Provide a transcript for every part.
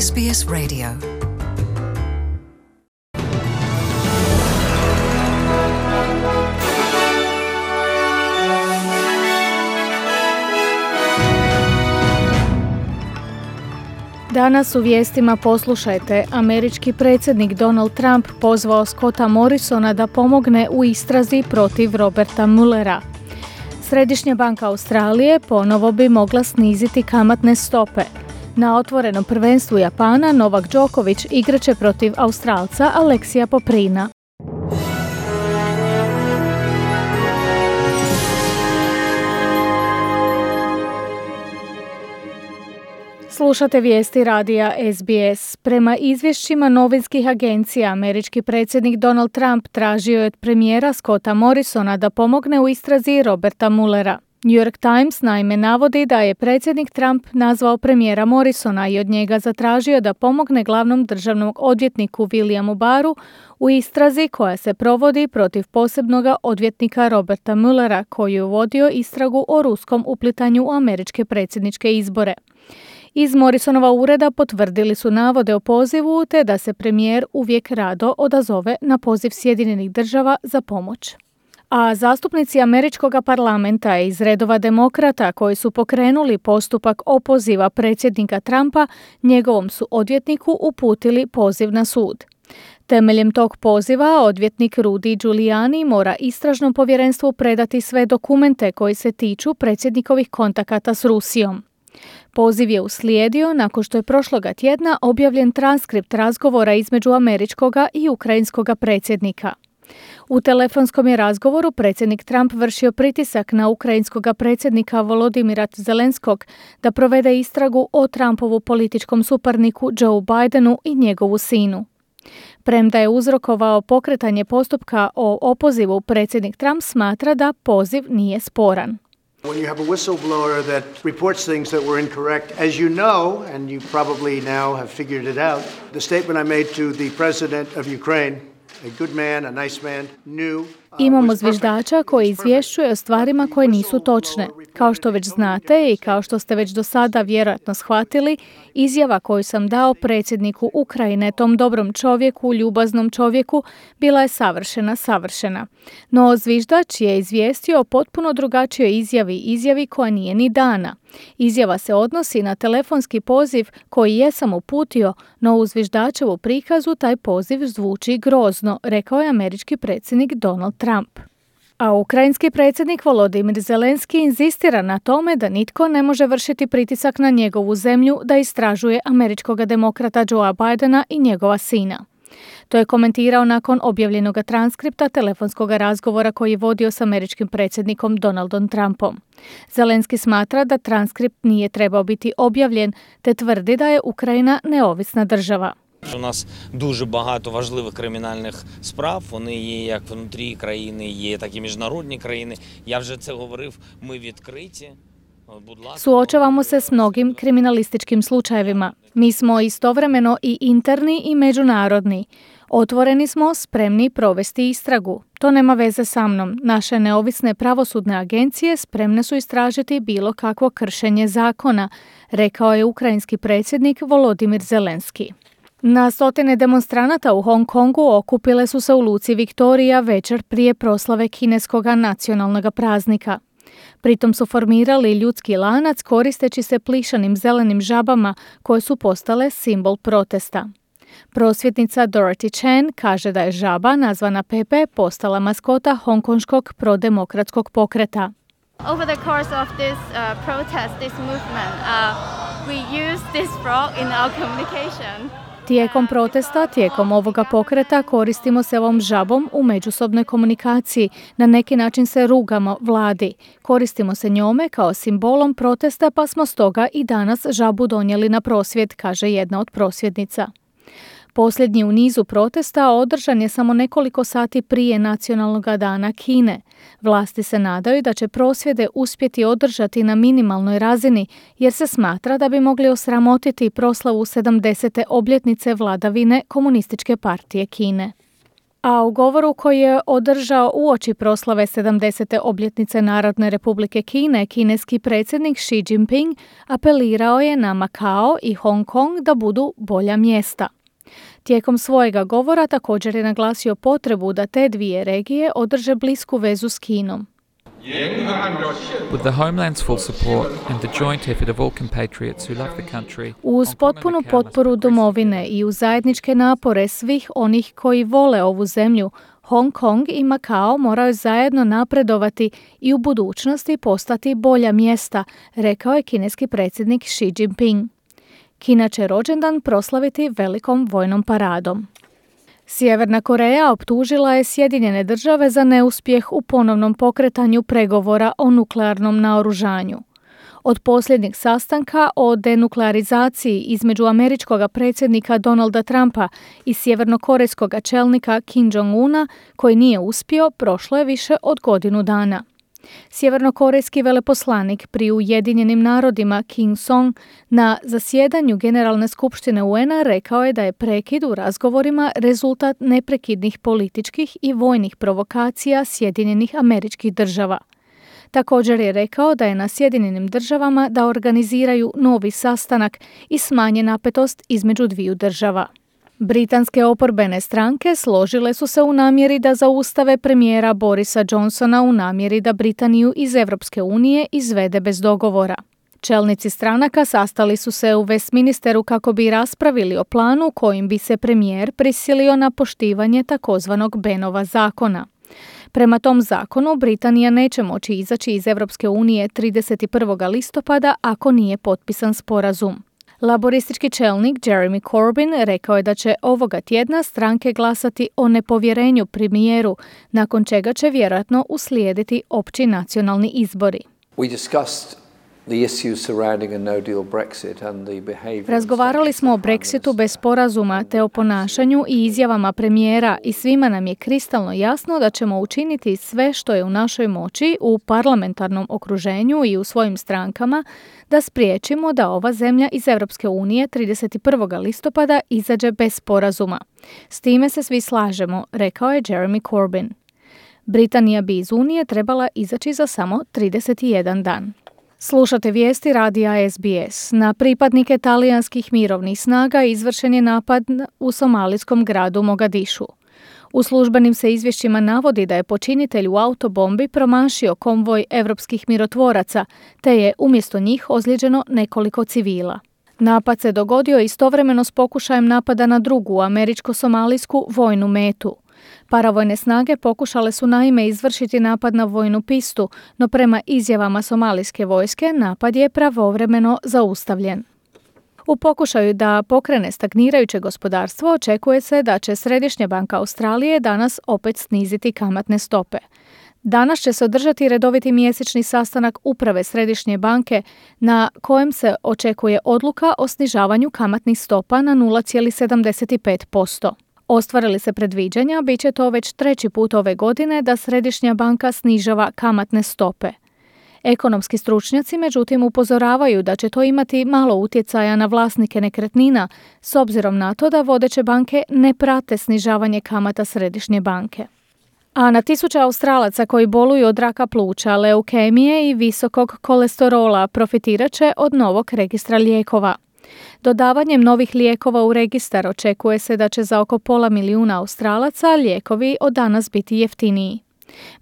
SBS Radio. Danas u vijestima poslušajte, američki predsjednik Donald Trump pozvao Scotta Morrisona da pomogne u istrazi protiv Roberta Muellera. Središnja banka Australije ponovo bi mogla sniziti kamatne stope. Na otvorenom prvenstvu Japana Novak Đoković igraće protiv Australca Aleksija Poprina. Slušate vijesti radija SBS. Prema izvješćima novinskih agencija, američki predsjednik Donald Trump tražio je od premijera Scotta Morrisona da pomogne u istrazi Roberta Muellera. New York Times naime navodi da je predsjednik Trump nazvao premijera Morrisona i od njega zatražio da pomogne glavnom državnom odvjetniku Williamu Barru u istrazi koja se provodi protiv posebnog odvjetnika Roberta Muellera koji je vodio istragu o ruskom uplitanju u američke predsjedničke izbore. Iz Morrisonova ureda potvrdili su navode o pozivu te da se premijer uvijek rado odazove na poziv Sjedinjenih država za pomoć. A zastupnici američkog parlamenta iz redova demokrata koji su pokrenuli postupak opoziva predsjednika Trumpa, njegovom su odvjetniku uputili poziv na sud. Temeljem tog poziva odvjetnik Rudy Giuliani mora istražnom povjerenstvu predati sve dokumente koji se tiču predsjednikovih kontakata s Rusijom. Poziv je uslijedio nakon što je prošloga tjedna objavljen transkript razgovora između američkoga i ukrajinskoga predsjednika. U telefonskom je razgovoru predsjednik Trump vršio pritisak na ukrajinskoga predsjednika Volodymyra Zelenskog da provede istragu o Trumpovu političkom suparniku Joe Bidenu i njegovu sinu. Premda je uzrokovao pokretanje postupka o opozivu, predsjednik Trump smatra da poziv nije sporan. When you have a whistleblower that reports things that were incorrect, as you know, and you probably now have figured it out, the statement I made to the president of Ukraine, a good man, a nice man, knew. Imamo zviždača koji izvješćuje o stvarima koje nisu točne. Kao što već znate i kao što ste već do sada vjerojatno shvatili, izjava koju sam dao predsjedniku Ukrajine, tom dobrom čovjeku, ljubaznom čovjeku, bila je savršena. No zviždač je izvijestio o potpuno drugačijoj izjavi koja nije ni dana. Izjava se odnosi na telefonski poziv koji jesam uputio, no u zviždačevu prikazu taj poziv zvuči grozno, rekao je američki predsjednik Donald Trump. A ukrajinski predsjednik Volodymyr Zelenski inzistira na tome da nitko ne može vršiti pritisak na njegovu zemlju da istražuje američkog demokrata Joea Bidena i njegova sina. To je komentirao nakon objavljenog transkripta telefonskog razgovora koji je vodio s američkim predsjednikom Donaldom Trumpom. Zelenski smatra da transkript nije trebao biti objavljen, te tvrdi da je Ukrajina neovisna država. У нас дуже багато важливих кримінальних справ, вони є як внутрі країни, є так і міжнародні країни. Я вже це говорив, ми відкриті. Suočavamo se s mnogim kriminalističkim slučajevima. Mi smo istovremeno i interni i međunarodni. Otvoreni smo, spremni provesti istragu. To nema veze sa mnom. Naše neovisne pravosudne agencije spremne su istražiti bilo kakvo kršenje zakona, rekao je ukrajinski predsjednik Volodymyr Zelenski. Na stotine demonstranata u Hong Kongu okupile su se u luci Viktorija večer prije proslave kineskog nacionalnog praznika. Pritom su formirali ljudski lanac koristeći se plišanim zelenim žabama koje su postale simbol protesta. Prosvjetnica Dorothy Chen kaže da je žaba, nazvana Pepe, postala maskota hongkonškog prodemokratskog pokreta. Over the course of this protest, this movement, we use this frog in our communication. Tijekom ovoga pokreta koristimo se ovom žabom u međusobnoj komunikaciji. Na neki način se rugamo vladi. Koristimo se njome kao simbolom protesta, pa smo stoga i danas žabu donijeli na prosvjed, kaže jedna od prosvjednica. Posljednji u nizu protesta održan je samo nekoliko sati prije Nacionalnog dana Kine. Vlasti se nadaju da će prosvjede uspjeti održati na minimalnoj razini jer se smatra da bi mogli osramotiti proslavu 70. obljetnice vladavine Komunističke partije Kine. A u govoru koji je održao uoči proslave 70. obljetnice Narodne republike Kine, kineski predsjednik Xi Jinping apelirao je na Makao i Hong Kong da budu bolja mjesta. Tijekom svojega govora također je naglasio potrebu da te dvije regije održe blisku vezu s Kinom. With the homeland's full support and the joint effort of all compatriots who love the country, Uz potpunu potporu domovine i uz zajedničke napore svih onih koji vole ovu zemlju, Hong Kong i Makao moraju zajedno napredovati i u budućnosti postati bolja mjesta, rekao je kineski predsjednik Xi Jinping. Kina će rođendan proslaviti velikom vojnom paradom. Sjeverna Koreja optužila je Sjedinjene države za neuspjeh u ponovnom pokretanju pregovora o nuklearnom naoružanju. Od posljednjeg sastanka o denuklearizaciji između američkog predsjednika Donalda Trumpa i sjevernokorejskog čelnika Kim Jong-una, koji nije uspio, prošlo je više od godinu dana. Sjevernokorejski veleposlanik pri Ujedinjenim narodima Kim Song na zasjedanju Generalne skupštine UN-a rekao je da je prekid u razgovorima rezultat neprekidnih političkih i vojnih provokacija Sjedinjenih Američkih Država. Također je rekao da je na Sjedinjenim Državama da organiziraju novi sastanak i smanje napetost između dviju država. Britanske oporbene stranke složile su se u namjeri da zaustave premijera Borisa Johnsona u namjeri da Britaniju iz Europske unije izvede bez dogovora. Čelnici stranaka sastali su se u Westminsteru kako bi raspravili o planu kojim bi se premijer prisilio na poštivanje takozvanog Benova zakona. Prema tom zakonu Britanija neće moći izaći iz Europske unije 31. listopada ako nije potpisan sporazum. Laboristički čelnik Jeremy Corbyn rekao je da će ovoga tjedna stranke glasati o nepovjerenju premijeru, nakon čega će vjerojatno uslijediti opći nacionalni izbori. Razgovarali smo o Brexitu bez sporazuma te o ponašanju i izjavama premijera i svima nam je kristalno jasno da ćemo učiniti sve što je u našoj moći u parlamentarnom okruženju i u svojim strankama da spriječimo da ova zemlja iz Europske unije 31. listopada izađe bez sporazuma. S time se svi slažemo, rekao je Jeremy Corbyn. Britanija bi iz Unije trebala izaći za samo 31 dan. Slušate vijesti radija SBS. Na pripadnike talijanskih mirovnih snaga izvršen je napad u somalijskom gradu Mogadišu. U službenim se izvješćima navodi da je počinitelj u autobombi promašio konvoj evropskih mirotvoraca, te je umjesto njih ozlijeđeno nekoliko civila. Napad se dogodio istovremeno s pokušajem napada na drugu američko-somalijsku vojnu metu. Paravojne snage pokušale su naime izvršiti napad na vojnu pistu, no prema izjavama somalijske vojske napad je pravovremeno zaustavljen. U pokušaju da pokrene stagnirajuće gospodarstvo očekuje se da će Središnja banka Australije danas opet sniziti kamatne stope. Danas će se održati redoviti mjesečni sastanak uprave Središnje banke na kojem se očekuje odluka o snižavanju kamatnih stopa na 0,75%. Ostvarili se predviđanja, bit će to već treći put ove godine da Središnja banka snižava kamatne stope. Ekonomski stručnjaci međutim upozoravaju da će to imati malo utjecaja na vlasnike nekretnina, s obzirom na to da vodeće banke ne prate snižavanje kamata Središnje banke. A na tisuće Australaca koji boluju od raka pluća, leukemije i visokog kolesterola profitirat će od novog registra lijekova. Dodavanjem novih lijekova u registar očekuje se da će za oko 500.000 Australaca lijekovi od danas biti jeftiniji.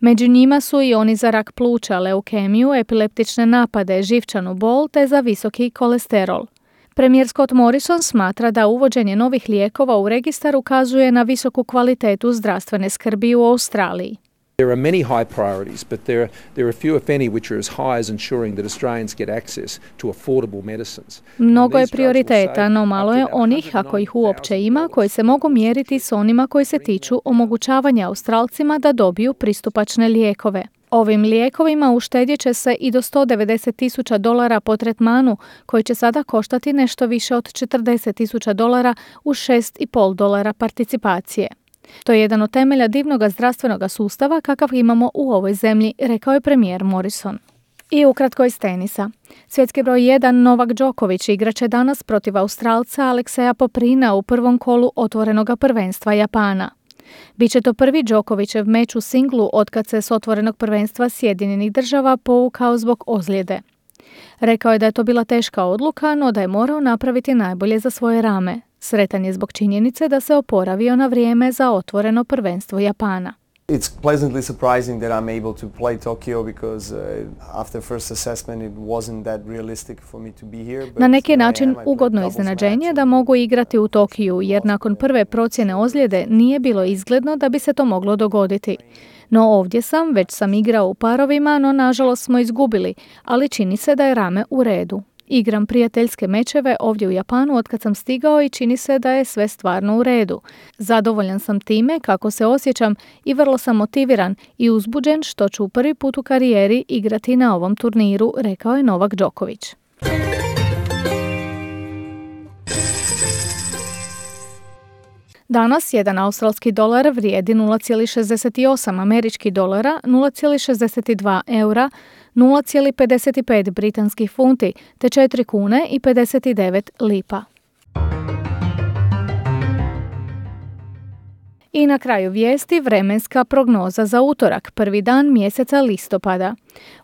Među njima su i oni za rak pluća, leukemiju, epileptične napade, živčanu bol te za visoki kolesterol. Premijer Scott Morrison smatra da uvođenje novih lijekova u registar ukazuje na visoku kvalitetu zdravstvene skrbi u Australiji. There are many high priorities, but there are few, if any, which are as high as ensuring that Australians get access to affordable medicines. Mnogo je prioriteta, no malo je onih, ako ih uopće ima, koji se mogu mjeriti s onima koji se tiču omogućavanja Australcima da dobiju pristupačne lijekove. Ovim lijekovima uštedjet će se i do $190,000 po tretmanu, koji će sada koštati nešto više od $40,000 uz $6,5 participacije. To je jedan od temelja divnog zdravstvenog sustava kakav imamo u ovoj zemlji, rekao je premijer Morrison. I ukratko iz tenisa. Svjetski broj 1 Novak Đoković igraće danas protiv Australca Alekseja Poprina u prvom kolu otvorenog prvenstva Japana. Biće to prvi Đokovićev meč u singlu otkad se s otvorenog prvenstva Sjedinjenih Država povukao zbog ozljede. Rekao je da je to bila teška odluka, no da je morao napraviti najbolje za svoje rame. Sretan je zbog činjenice da se oporavio na vrijeme za otvoreno prvenstvo Japana. It's pleasantly surprising that I'm able to play Tokyo because after first assessment it wasn't that realistic for me to be here. Na neki način ugodno iznenađenje da mogu igrati u Tokiju, jer nakon prve procjene ozljede nije bilo izgledno da bi se to moglo dogoditi. No ovdje sam, već sam igrao u parovima, no nažalost smo izgubili, ali čini se da je rame u redu. Igram prijateljske mečeve ovdje u Japanu otkad sam stigao i čini se da je sve stvarno u redu. Zadovoljan sam time kako se osjećam i vrlo sam motiviran i uzbuđen što ću prvi put u karijeri igrati na ovom turniru, rekao je Novak Đoković. Danas jedan australski dolar vrijedi 0,68 američkih dolara, 0,62 eura, 0,55 britanskih funti te 4 kune i 59 lipa. I na kraju vijesti vremenska prognoza za utorak, prvi dan mjeseca listopada.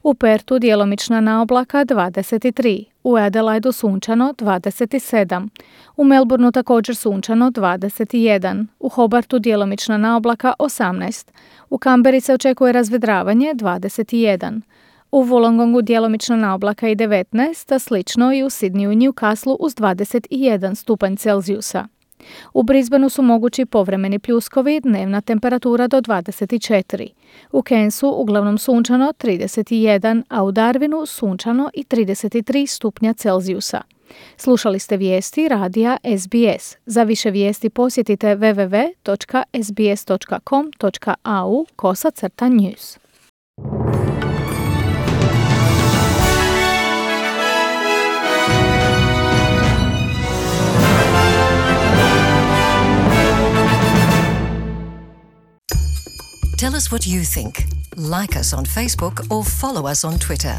U Pertu djelomična naoblaka 23, u Adelaidu sunčano 27, u Melbourneu također sunčano 21, u Hobartu djelomična naoblaka 18, u Kamberi se očekuje razvedravanje 21, u Wollongongu djelomična naoblaka i 19, a slično i u Sidneyu i Newcastleu uz 21 stupanj Celzijusa. U Brisbaneu su mogući povremeni pljuskovi, dnevna temperatura do 24. U Cairnsu uglavnom sunčano 31, a u Darwinu sunčano i 33 stupnja Celzijusa. Slušali ste vijesti radija SBS. Za više vijesti posjetite www.sbs.com.au/news. Tell us what you think. Like us on Facebook or follow us on Twitter.